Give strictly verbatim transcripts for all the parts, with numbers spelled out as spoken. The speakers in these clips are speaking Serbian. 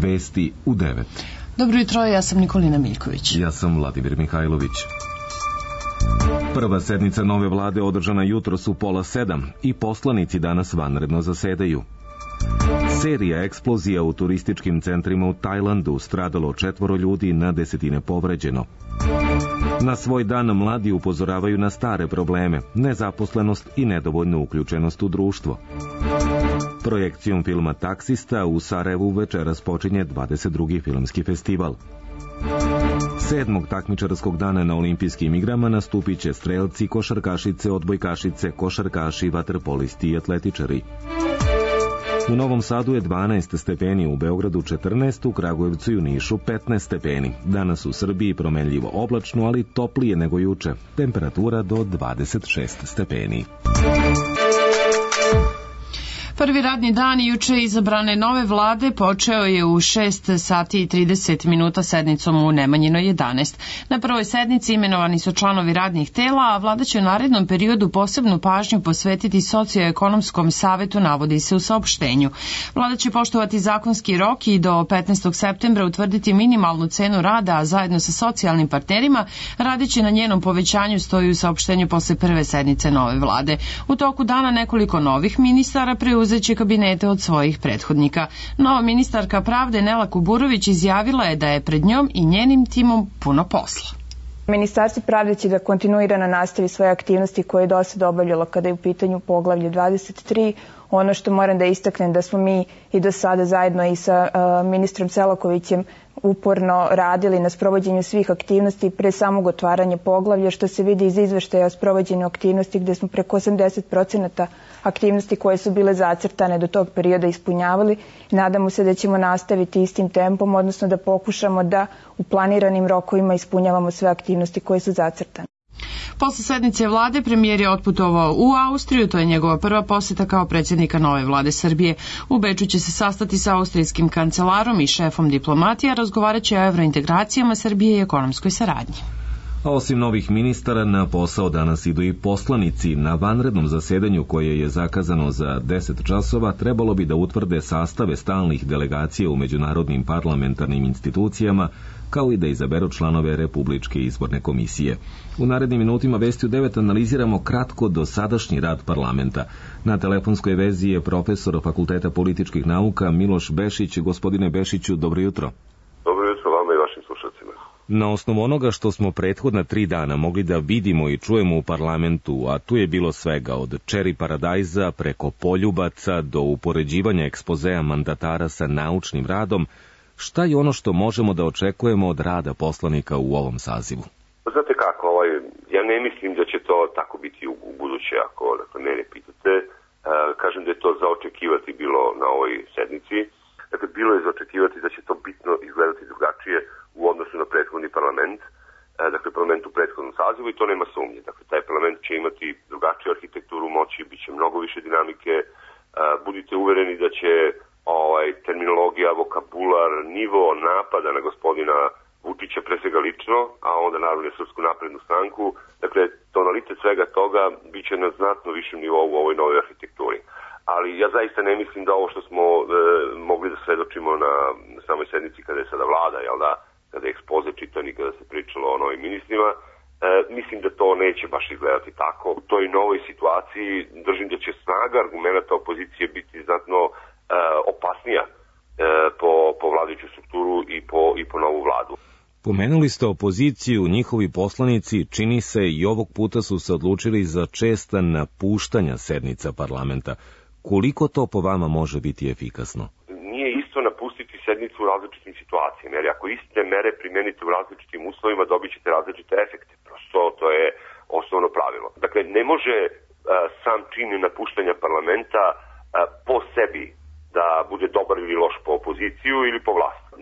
Vesti u devet. Dobro jutro, ja sam Nikolina Miljković. Ja sam Vladimir Mihajlović. Prva sednica nove vlade održana jutros u pola sedam i poslanici danas vanredno zasedaju. Serija eksplozija u turističkim centrima u Tajlandu, stradalo četvoro ljudi, na desetine povređeno. Na svoj dan mladi upozoravaju na stare probleme, nezaposlenost i nedovoljnu uključenost u društvo. Projekcijom filma Taksista u Sarajevu večeras počinje dvadeset drugi filmski festival. Sedmog takmičarskog dana na olimpijskim igrama nastupit će strelci, košarkašice, odbojkašice, košarkaši, vaterpolisti i atletičari. U Novom Sadu je dvanaest stepeni, u Beogradu četrnaest, u Kragujevcu i u Nišu petnaest stepeni. Danas u Srbiji promenljivo oblačno, ali toplije nego juče. Temperatura do dvadeset šest stepeni. Prvi radni dan juče izabrane nove vlade počeo je u šest sati i trideset minuta sednicom u Nemanjinoj jedanaest. Na prvoj sednici imenovani su članovi radnih tela, a vlada će u narednom periodu posebnu pažnju posvetiti socioekonomskom savetu, navodi se u saopštenju. Vlada će poštovati zakonski rok i do petnaestog septembra utvrditi minimalnu cenu rada, a zajedno sa socijalnim partnerima radiće na njenom povećanju, stoji u saopštenju posle prve sednice nove vlade. U toku dana nekoliko novih ministara preuzeće će kabinete od svojih prethodnika. Nova ministarka pravde Nela Kuburović izjavila je da je pred njom i njenim timom puno posla. Ministarstvo pravde će da kontinuirano nastavi svoje aktivnosti koje je do sada obavljalo kada je u pitanju poglavlje dvadeset tri. Ono što moram da istaknem da smo mi i do sada zajedno i sa uh, ministrom Selakovićem uporno radili na sprovođenju svih aktivnosti pre samog otvaranja poglavlja, što se vidi iz izveštaja o sprovođenju aktivnosti gde smo preko osamdeset procenata aktivnosti koje su bile zacrtane do tog perioda ispunjavali. Nadamo se da ćemo nastaviti istim tempom, odnosno da pokušamo da u planiranim rokovima ispunjavamo sve aktivnosti koje su zacrtane. Posle sednice vlade premijer je otputovao u Austriju, to je njegova prva poseta kao predsjednika nove vlade Srbije. U Beču će se sastati sa austrijskim kancelarom i šefom diplomatija, razgovarat će o evrointegracijama Srbije i ekonomskoj saradnji. A osim novih ministara, na posao danas idu i poslanici. Na vanrednom zasedanju koje je zakazano za deset časova trebalo bi da utvrde sastave stalnih delegacija u međunarodnim parlamentarnim institucijama, kao i da izaberu članove Republičke izborne komisije. U narednim minutima Vesti u devet analiziramo kratko dosadašnji rad parlamenta. Na telefonskoj vezi je profesor Fakulteta političkih nauka Miloš Bešić. Gospodine Bešiću, dobro jutro. Dobro jutro vama i vašim slušalcima. Na osnovu onoga što smo prethodna tri dana mogli da vidimo i čujemo u parlamentu, a tu je bilo svega od čeri paradajza preko poljubaca do upoređivanja ekspozea mandatara sa naučnim radom, šta je ono što možemo da očekujemo od rada poslanika u ovom sazivu? Znate kako, ovaj, ja ne mislim da će to tako biti u, u buduće, ako dakle, mene pitate. E, kažem da je to za očekivati bilo na ovoj sednici. Dakle, bilo je za očekivati da će to bitno izgledati drugačije u odnosu na prethodni parlament, e, dakle parlament u prethodnom sazivu, i to nema sumnje. Dakle, taj parlament će imati drugačiju arhitekturu moći, bit će mnogo više dinamike, e, budite uvereni da će ovaj, terminologija, vokabular, nivo napada na gospodina Vučića pre svega lično, a onda naravno i Srpsku naprednu stranku. Dakle, tonalitet svega toga bit će na znatno višem nivou u ovoj novoj arhitekturi. Ali ja zaista ne mislim da ovo što smo e, mogli da svedočimo na, na samoj sednici kada je sada vlada, jel da, kada je ekspoze čitan i kada se pričalo o novim ministrima, e, mislim da to neće baš izgledati tako. U toj novoj situaciji držim da će snaga argumenta opozicije biti znatno e, opasnija e, po, po vladajuću strukturu i po, i po novu vladu. Pomenuli ste opoziciju, njihovi poslanici, čini se i ovog puta su se odlučili za česta napuštanja sednica parlamenta. Koliko to po vama može biti efikasno? Nije isto napustiti sednicu u različitim situacijama, jer ako iste mere primenite u različitim uslovima, dobit ćete različite efekte. Prosto to je osnovno pravilo. Dakle, ne može uh, sam čin napuštanja parlamenta uh, po sebi da bude dobar ili loš po opoziciju ili po vlast. Uh,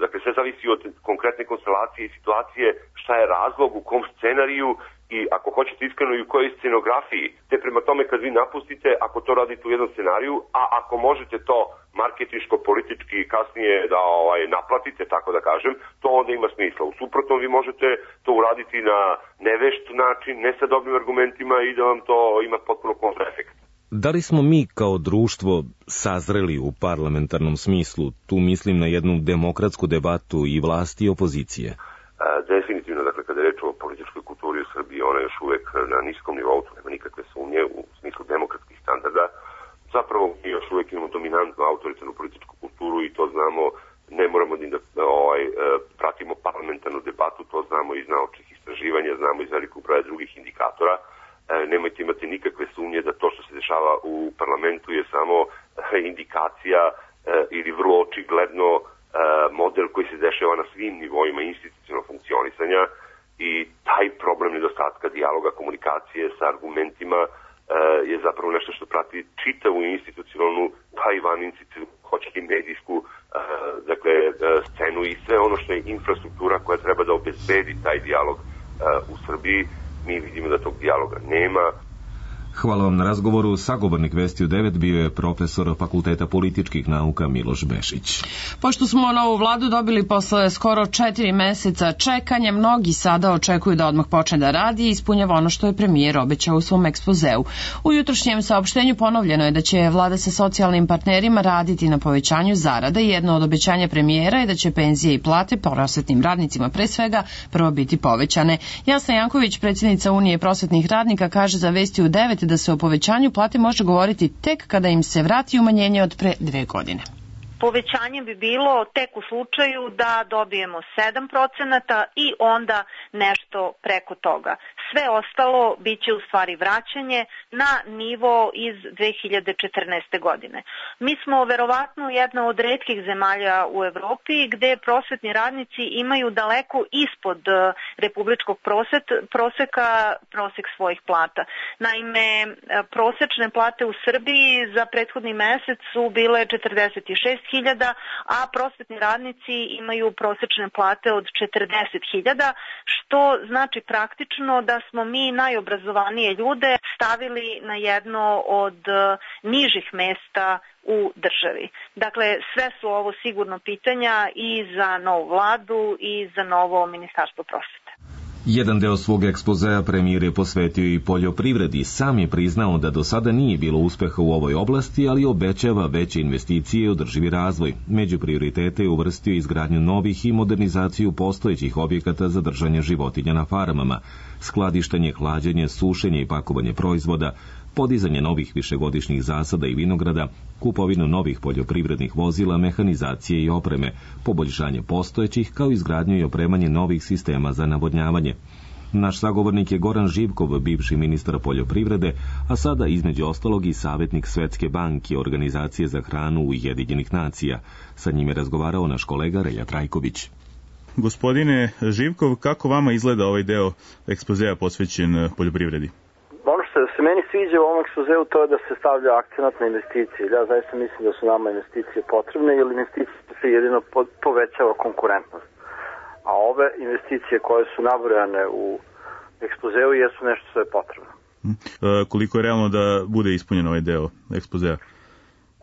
dakle, sve zavisi od konkretne konstelacije i situacije, šta je razlog, u kom scenariju i ako hoćete iskreno i u kojoj scenografiji. Te prema tome kad vi napustite, ako to radite u jednom scenariju, a ako možete to marketinško, politički kasnije da ovaj, naplatite, tako da kažem, to onda ima smisla. U suprotnom vi možete to uraditi na nevešt način, ne sa dobrim argumentima i da vam to ima potpuno kontraefekt. Da li smo mi kao društvo sazreli u parlamentarnom smislu? Tu mislim na jednu demokratsku debatu i vlasti i opozicije. Definitivno, dakle, kada je reč o političkoj kulturi u Srbiji, ona je još uvek na niskom nivou, tu nema nikakve sumnje u smislu demokratskih standarda. Zapravo mi još uvek imamo dominantnu autoritarnu političku kulturu i to znamo, ne moramo da ovaj, pratimo parlamentarnu debatu, to znamo iz naučnih istraživanja, znamo iz velikog broja drugih indikatora. Nemojte imati nikakve sumnje da to što se dešava u parlamentu je samo indikacija ili vrlo očigledno model koji se dešava na svim nivoima institucionalnog funkcionisanja i taj problem nedostatka dijaloga, komunikacije sa argumentima je zapravo nešto što prati čitavu institucionalnu, pa i van institucionalnu, hoće i medijsku dakle, scenu i sve ono što je infrastruktura koja treba da obezbedi taj dijalog u Srbiji. Mi vidimo da tog dijaloga nema. Hvala vam na razgovoru. Sagovornik Vesti u devet bio je profesor Fakulteta političkih nauka Miloš Bešić. Pošto smo novu vladu dobili posle skoro četiri meseca čekanja, mnogi sada očekuju da odmah počne da radi i ispunjava ono što je premijer obećao u svom ekspozeu. U jutrošnjem saopštenju ponovljeno je da će vlada sa socijalnim partnerima raditi na povećanju zarada i jedno od obećanja premijera je da će penzije i plate prosvetnim radnicima pre svega prvo biti povećane. Jasna Janković, predsjednica Unije prosvetnih radnika, kaže za Vesti u devet da se o povećanju plate može govoriti tek kada im se vrati umanjenje od pre dve godine. Povećanje bi bilo tek u slučaju da dobijemo sedam procenata i onda nešto preko toga. Sve ostalo biće u stvari vraćanje na nivo iz dve hiljade četrnaeste. godine. Mi smo verovatno jedna od retkih zemalja u Evropi gde prosvetni radnici imaju daleko ispod republičkog proseka prosek svojih plata. Naime, prosečne plate u Srbiji za prethodni mesec su bile četrdeset šest hiljada, a prosvetni radnici imaju prosečne plate od četrdeset hiljada, što znači praktično da smo mi najobrazovanije ljude stavili na jedno od nižih mesta u državi. Dakle, sve su ovo sigurno pitanja i za novu vladu i za novo ministarstvo prosvete. Jedan deo svog ekspozea premijer je posvetio i poljoprivredi. Sam je priznao da do sada nije bilo uspeha u ovoj oblasti, ali obećava veće investicije i održivi razvoj. Među prioritete je uvrstio izgradnju novih i modernizaciju postojećih objekata za držanje životinja na farmama, skladištenje, hlađenje, sušenje i pakovanje proizvoda, podizanje novih višegodišnjih zasada i vinograda, kupovinu novih poljoprivrednih vozila, mehanizacije i opreme, poboljšanje postojećih kao izgradnju i opremanje novih sistema za navodnjavanje. Naš sagovornik je Goran Živkov, bivši ministar poljoprivrede, a sada između ostalog i savjetnik Svetske banke, Organizacije za hranu Ujedinjenih nacija. Sa njim je razgovarao naš kolega Relja Trajković. Gospodine Živkov, kako vama izgleda ovaj deo ekspozea posvećen poljoprivredi? Ono što se meni sviđa u ovom ekspozeu to je da se stavlja akcenat na investicije. Ja zaista mislim da su nama investicije potrebne, jer investicije se jedino povećava konkurentnost. A ove investicije koje su nabrojane u ekspozeu jesu nešto što je potrebno. E, koliko je realno da bude ispunjen ovaj deo ekspozea?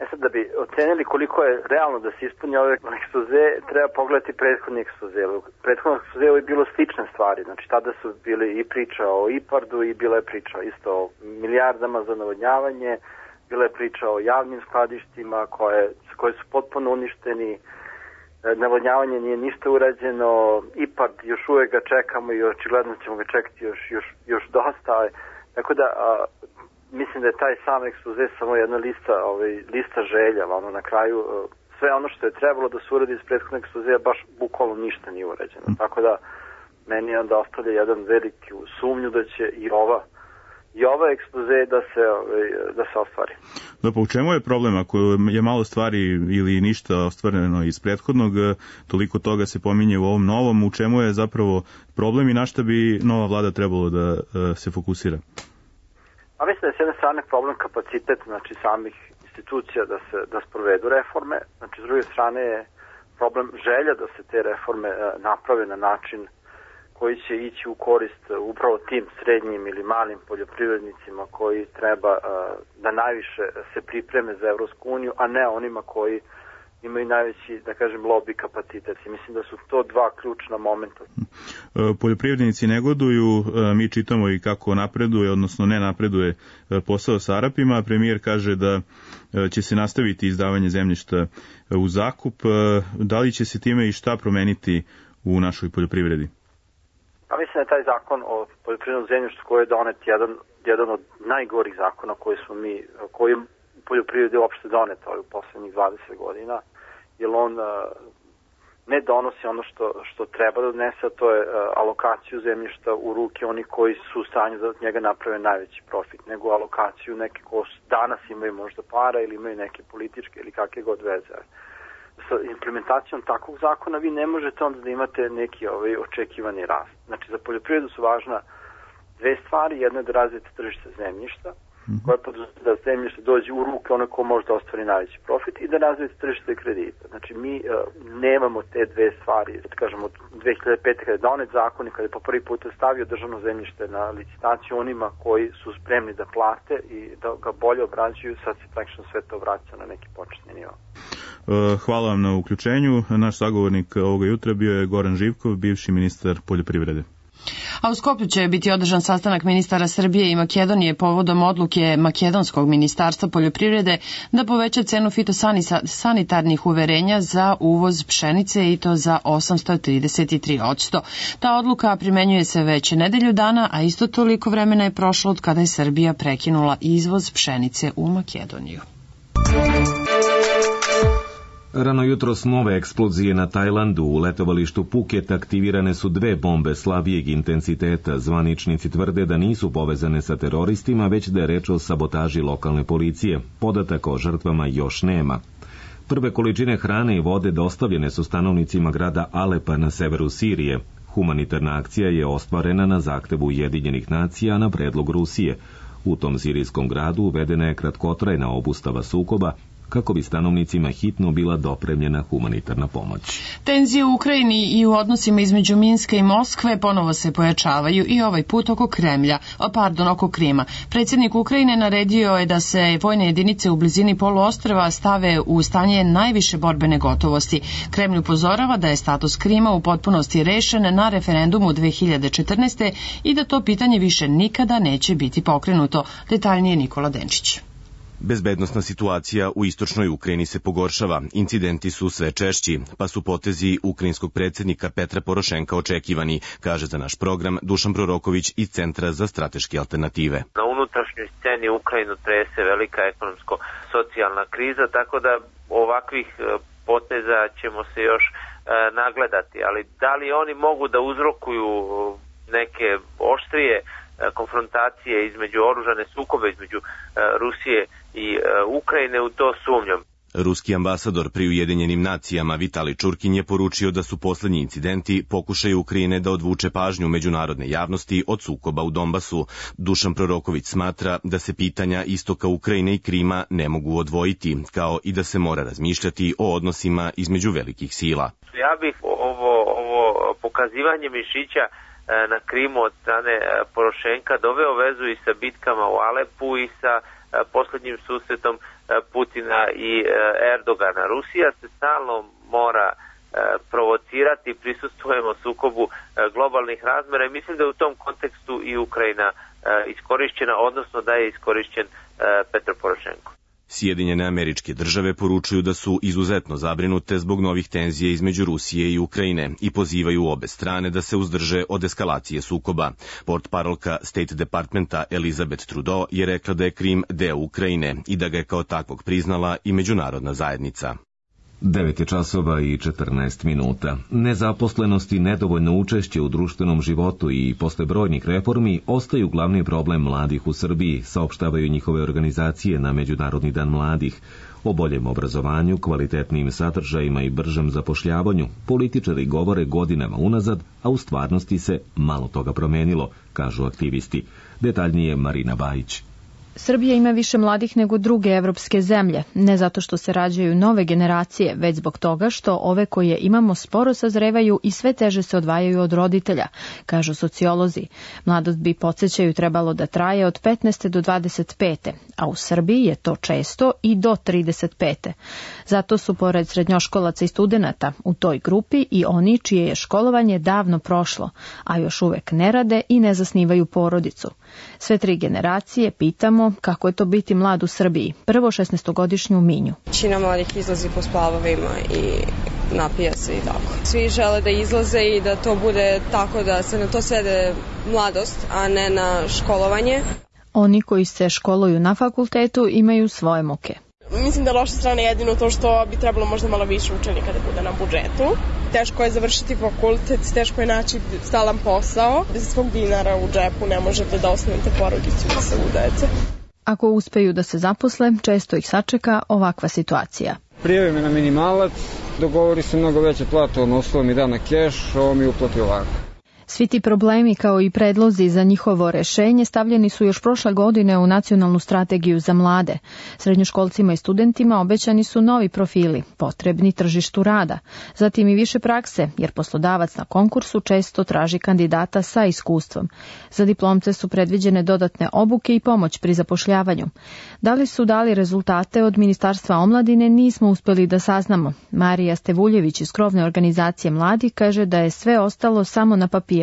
E sad, da bi ocenili koliko je realno da se ispunja ovaj ekspoze, treba pogledati prethodni ekspoze. U prethodnom ekspozeu je bilo slične stvari. Znači, tada su bili i priča o IPARD-u i bila je priča isto o milijardama za navodnjavanje, bila je priča o javnim skladištima koje, koje su potpuno uništeni, navodnjavanje nije ništa urađeno, IPARD još uvek ga čekamo i očigledno ćemo ga čekati još, još, još dosta. Tako da... A, mislim da je taj sam ekspoze samo jedna lista, ovaj, lista želja, ono na kraju sve ono što je trebalo da se uradi iz prethodnog ekspozea baš bukvalno ništa nije urađeno. Mm. Tako da meni onda ostavlja jedan veliki sumnju da će i ova i ova ekspoze da se ovaj, da se ostvari. Da, pa u čemu je problem ako je malo stvari ili ništa ostvareno iz prethodnog, toliko toga se pominje u ovom novom, u čemu je zapravo problem i na šta bi nova vlada trebalo da se fokusira? A mislim da je s jedne strane problem kapacitet, znači samih institucija da se da sprovedu reforme, znači s druge strane je problem želja da se te reforme naprave na način koji će ići u korist upravo tim srednjim ili malim poljoprivrednicima koji treba da najviše se pripreme za Evropsku uniju, a ne onima koji imaju najveći, da kažem, lobby kapacitet. I mislim da su to dva ključna momenta. Poljoprivrednici negoduju, mi čitamo i kako napreduje, odnosno ne napreduje posao sa Arapima. Premijer kaže da će se nastaviti izdavanje zemljišta u zakup. Da li će se time i šta promeniti u našoj poljoprivredi? Pa mislim da je taj zakon o poljoprivrednom zemljištu koji je donet jedan, jedan od najgorih zakona koji smo mi, koji je u poljoprivredi uopšte donet u poslednjih dvadeset godina, jer on ne donosi ono što, što treba da donese, a to je alokaciju zemljišta u ruke onih koji su u stanju da od njega naprave najveći profit, nego alokaciju neke ko danas imaju možda para ili imaju neke političke ili kakve god veze. Sa implementacijom takvog zakona vi ne možete onda da imate neki ovaj očekivani rast. Znači za poljoprivredu su važna dve stvari, jedna je da razvijete tržište zemljišta, koja podrazumeva da zemljište dođe u ruke ono ko može da ostvari najveći profit i da razvijete tržište kredita. Znači mi uh, nemamo te dve stvari. Da kažemo, od dve hiljade pete kada je donet zakon i kada je po prvi put stavio državno zemljište na licitaciju onima koji su spremni da plate i da ga bolje obrađuju, sad se praktično sve to vraća na neki početni nivo. Hvala vam na uključenju. Naš sagovornik ovoga jutra bio je Goran Živkov, bivši ministar poljoprivrede. A u Skoplju će biti održan sastanak ministara Srbije i Makedonije povodom odluke Makedonskog ministarstva poljoprivrede da poveća cenu fitosanitarnih uverenja za uvoz pšenice i to za osamsto trideset tri posto. Ta odluka primenjuje se već nedelju dana, a isto toliko vremena je prošlo od kada je Srbija prekinula izvoz pšenice u Makedoniju. Rano jutros nove eksplozije na Tajlandu. U letovalištu Phuket aktivirane su dve bombe slabijeg intenziteta. Zvaničnici tvrde da nisu povezane sa teroristima, već da je reč o sabotaži lokalne policije. Podataka o žrtvama još nema. Prve količine hrane i vode dostavljene su stanovnicima grada Alepa na severu Sirije. Humanitarna akcija je ostvarena na zahtevu Ujedinjenih nacija na predlog Rusije. U tom sirijskom gradu uvedena je kratkotrajna obustava sukoba, kako bi stanovnicima hitno bila dopremljena humanitarna pomoć. Tenzije u Ukrajini i u odnosima između Minska i Moskve ponovo se pojačavaju i ovaj put oko Kremlja, pardon, oko Krima. Predsjednik Ukrajine naredio je da se vojne jedinice u blizini poluostrva stave u stanje najviše borbene gotovosti. Kremlj upozorava da je status Krima u potpunosti rešen na referendumu dve hiljade četrnaeste. i da to pitanje više nikada neće biti pokrenuto. Detaljnije Nikola Denčić. Bezbednosna situacija u istočnoj Ukrajini se pogoršava, incidenti su sve češći, pa su potezi ukrajinskog predsjednika Petra Porošenka očekivani, kaže za naš program Dušan Proroković iz Centra za strateške alternative. Na unutrašnjoj sceni Ukrajinu trese velika ekonomsko-socijalna kriza, tako da ovakvih poteza ćemo se još e, nagledati, ali da li oni mogu da uzrokuju neke oštrije konfrontacije između oružane sukobe između Rusije i Ukrajine, u to sumnjam. Ruski ambasador pri Ujedinjenim nacijama Vitali Čurkin je poručio da su poslednji incidenti pokušaj Ukrajine da odvuče pažnju međunarodne javnosti od sukoba u Donbasu. Dušan Proroković smatra da se pitanja istoka Ukrajine i Krima ne mogu odvojiti, kao i da se mora razmišljati o odnosima između velikih sila. Ja bih ovo, ovo pokazivanje mišića na Krimu od strane Porošenka doveo vezu i sa bitkama u Alepu i sa poslednjim susretom Putina i Erdogana. Rusija se stalno mora provocirati, prisustvujemo sukobu globalnih razmera i mislim da je u tom kontekstu i Ukrajina iskorišćena, odnosno da je iskorišćen Petro Porošenko. Sjedinjene Američke Države poručuju da su izuzetno zabrinute zbog novih tenzija između Rusije i Ukrajine i pozivaju obe strane da se uzdrže od eskalacije sukoba. Portparolka State Departmenta Elizabeth Trudeau je rekla da je Krim deo Ukrajine i da ga je kao takvog priznala i međunarodna zajednica. devet je časova i četrnaest minuta. Nezaposlenost i nedovoljno učešće u društvenom životu i posle brojnih reformi ostaju glavni problem mladih u Srbiji, saopštavaju njihove organizacije na Međunarodni dan mladih. O boljem obrazovanju, kvalitetnim sadržajima i bržem zapošljavanju političari govore godinama unazad, a u stvarnosti se malo toga promenilo, kažu aktivisti. Detaljnije Marina Bajić. Srbija ima više mladih nego druge evropske zemlje, ne zato što se rađaju nove generacije, već zbog toga što ove koje imamo sporo sazrevaju i sve teže se odvajaju od roditelja, kažu sociolozi. Mladost bi, podsjećaju, trebalo da traje od petnaeste do dvadeset pete, a u Srbiji je to često i do trideset pete. Zato su, pored srednjoškolaca i studenata, u toj grupi i oni čije je školovanje davno prošlo, a još uvek ne rade i ne zasnivaju porodicu. Sve tri generacije pitamo kako je to biti mlad u Srbiji. Prvo šesnaestogodišnju Minju. Većina mladih izlazi po splavovima i napija se i tako. Svi žele da izlaze i da to bude tako da se na to svede mladost, a ne na školovanje. Oni koji se školuju na fakultetu imaju svoje muke. Mislim da loša strana je jedino to što bi trebalo možda malo više učenika da bude na budžetu. Teško je završiti fakultet, teško je naći stalan posao. Bez svog dinara u džepu ne možete da osnovite porodicu i da se udajete. Ako uspeju da se zaposle, često ih sačeka ovakva situacija. Prijavi me na minimalac, dogovori se mnogo veće plate, on uslova mi da na keš, ovo mi uplati ovako. Svi ti problemi kao i predlozi za njihovo rešenje stavljeni su još prošle godine u Nacionalnu strategiju za mlade. Srednjoškolcima i studentima obećani su novi profili, potrebni tržištu rada, zatim i više prakse, jer poslodavac na konkursu često traži kandidata sa iskustvom. Za diplomce su predviđene dodatne obuke i pomoć pri zapošljavanju. Da li su dali rezultate od Ministarstva omladine, nismo uspeli da saznamo. Marija Stevuljević iz krovne organizacije mladih kaže da je sve ostalo samo na papiru,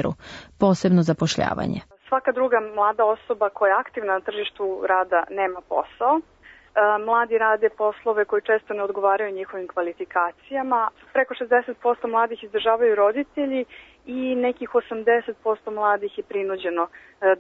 posebno zapošljavanje. Svaka druga mlada osoba koja je aktivna na tržištu rada nema posao. Mladi rade poslove koji često ne odgovaraju njihovim kvalifikacijama. Preko šezdeset posto mladih izdržavaju roditelji i nekih osamdeset posto mladih je prinuđeno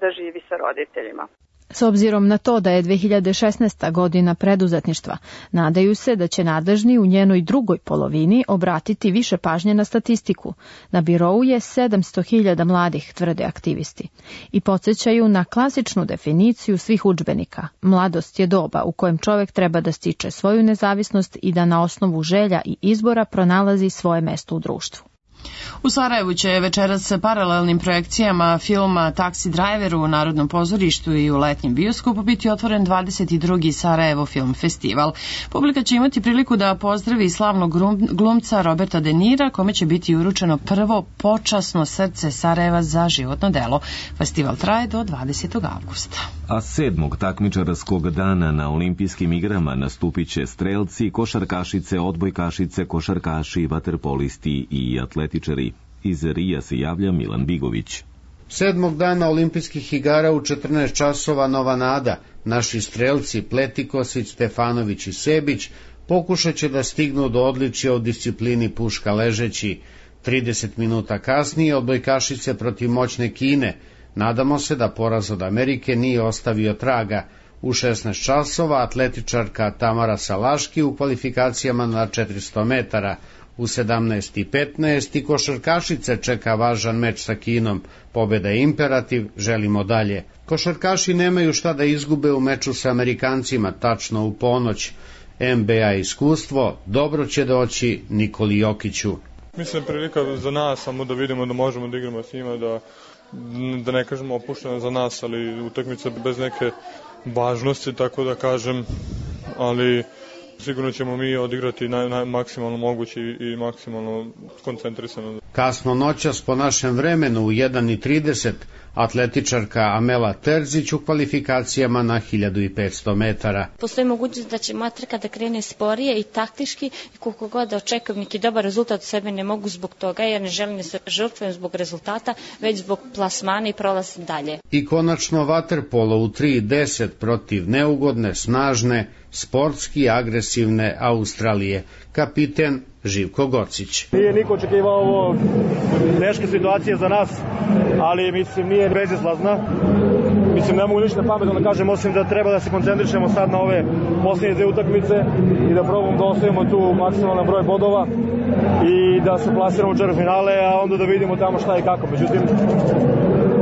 da živi sa roditeljima. S obzirom na to da je dve hiljade šesnaesta godina preduzetništva, nadaju se da će nadležni u njenoj drugoj polovini obratiti više pažnje na statistiku. Na birou je sedamsto hiljada mladih, tvrde aktivisti. I podsjećaju na klasičnu definiciju svih udžbenika. Mladost je doba u kojem čovjek treba da stiče svoju nezavisnost i da na osnovu želja i izbora pronalazi svoje mesto u društvu. U Sarajevu će večeras sa paralelnim projekcijama filma Taxi Driver u Narodnom pozorištu i u letnjem bioskopu biti otvoren dvadeset drugi Sarajevo Film Festival. Publika će imati priliku da pozdravi slavnog glumca Roberta De Nira, kome će biti uručeno prvo počasno srce Sarajeva za životno delo. Festival traje do dvadesetog avgusta. A sedmog takmičarskog dana na olimpijskim igrama nastupit će strelci, košarkašice, odbojkašice, košarkaši, vaterpolisti i atletičari. Iz Rija se javlja Milan Bigović. Sedmog dana olimpijskih igara u četrnaest časova Nova Nada, naši strelci Pletikosić, Stefanović i Sebić pokušat će da stignu do odličja u disciplini puška ležeći. trideset minuta kasnije odbojkašice protiv moćne Kine. Nadamo se da poraz od Amerike nije ostavio traga. U šesnaest časova atletičarka Tamara Salaški u kvalifikacijama na četiristo metara. U sedamnaest i petnaest i košarkašice čeka važan meč sa Kinom. Pobeda je imperativ, želimo dalje. Košarkaši nemaju šta da izgube u meču sa Amerikancima, tačno u ponoć. N B A iskustvo dobro će doći Nikoli Jokiću. Mislim prilika za nas samo da vidimo da možemo da igramo s njima, da, da ne kažemo opušteno za nas, ali utakmica bez neke važnosti, tako da kažem, ali sigurno ćemo mi odigrati naj, naj, maksimalno moguće i, i maksimalno koncentrisano. Kasno noćas po našem vremenu u jedan i trideset atletičarka Amela Terzić u kvalifikacijama na hiljadu petsto metara. Postoji mogućnost da će moja trka da krene sporije i taktički i koliko god da očekujem neki dobar rezultat od sebe ne mogu zbog toga jer ne želim da se žrtvujem zbog rezultata, već zbog plasmana i prolazim dalje. I konačno vaterpolo u tri i deset protiv neugodne, snažne, sportski agresivne Australije. Kapiten Živko Gocić. Nije niko očekivao ovo teške situacije za nas, ali mislim nije bezizlazna. Mislim ne mogu ništa pametno da kažem, osim da treba da se koncentrišemo sad na ove posljednje dve utakmice i da probamo da osvojimo tu maksimalan broj bodova i da se plasiramo u četvrtfinale, a onda da vidimo tamo šta i kako. Međutim,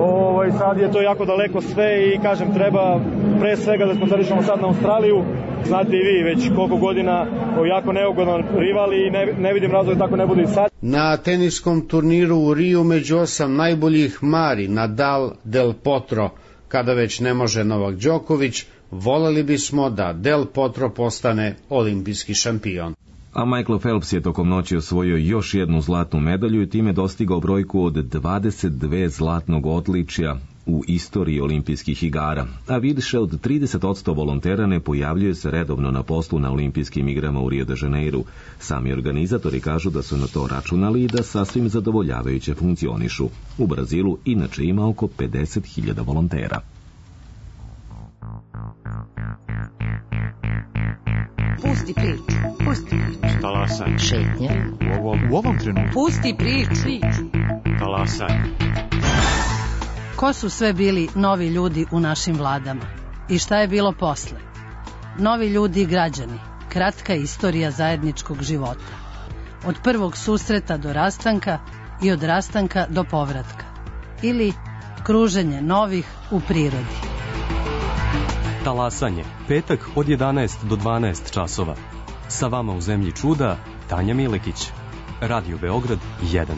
ovaj, sad je to jako daleko sve i kažem treba pre svega da koncentrišemo sad na Australiju. Znate i vi, već koliko godina jako neugodan rival i ne, ne vidim razloga tako ne bude i sad. Na teniskom turniru u Riju među osam najboljih Mari, Nadal, Del Potro. Kada već ne može Novak Đoković, Voleli bismo da Del Potro postane olimpijski šampion. A Michael Phelps je tokom noći osvojio još jednu zlatnu medalju i time dostigao brojku od dvadeset dve zlatnog odličja u istoriji olimpijskih igara, a više od trideset posto volontera ne pojavljuje se redovno na poslu na olimpijskim igrama u Rio de Janeiru. Sami organizatori kažu da su na to računali i da sasvim zadovoljavajuće funkcionišu. U Brazilu inače ima oko pedeset hiljada volontera. Pusti priču, pusti priču. Talasaj. Šetnja. U ovom, u ovom trenutku. Pusti priču. Talasaj. Ko su sve bili novi ljudi u našim vladama? I šta je bilo posle? Novi ljudi i građani. Kratka istorija zajedničkog života. Od prvog susreta do rastanka i od rastanka do povratka. Ili kruženje novih u prirodi. Talasanje, petak od jedanaest do dvanaest časova. Sa vama u zemlji čuda, Tanja Milekić. Radio Beograd jedan.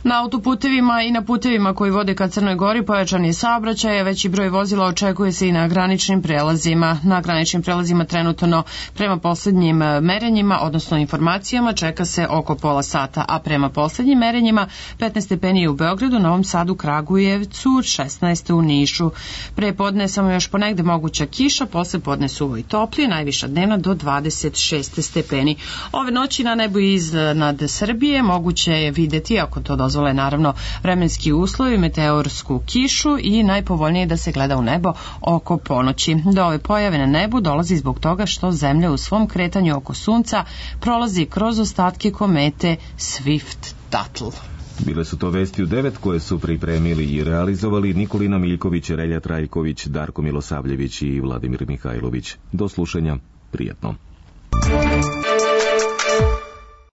Na autoputevima i na putevima koji vode ka Crnoj Gori pojačan je saobraćaj, a veći broj vozila očekuje se i na graničnim prelazima. Na graničnim prelazima trenutno prema poslednjim merenjima, odnosno informacijama, čeka se oko pola sata, a prema poslednjim merenjima petnaest stepeni u Beogradu, Novom Sadu, Kragujevcu, šesnaest u Nišu. Pre podne samo još ponegde moguća kiša, posle podne suvo i toplije, najviša dnevna do dvadeset šest stepeni. Ove noći na nebu iznad Srbije moguće je videti, ako to dozvoljeno, dozvole naravno vremenski uslovi, meteorsku kišu i najpovoljnije da se gleda u nebo oko ponoći. Do ove pojave na nebu dolazi zbog toga što Zemlja u svom kretanju oko Sunca prolazi kroz ostatke komete Swift-Tuttle. Bile su to vesti u devet koje su pripremili i realizovali Nikolina Miljković, Relja Trajković, Darko Milosavljević i Vladimir Mihajlović. Do slušanja, prijatno.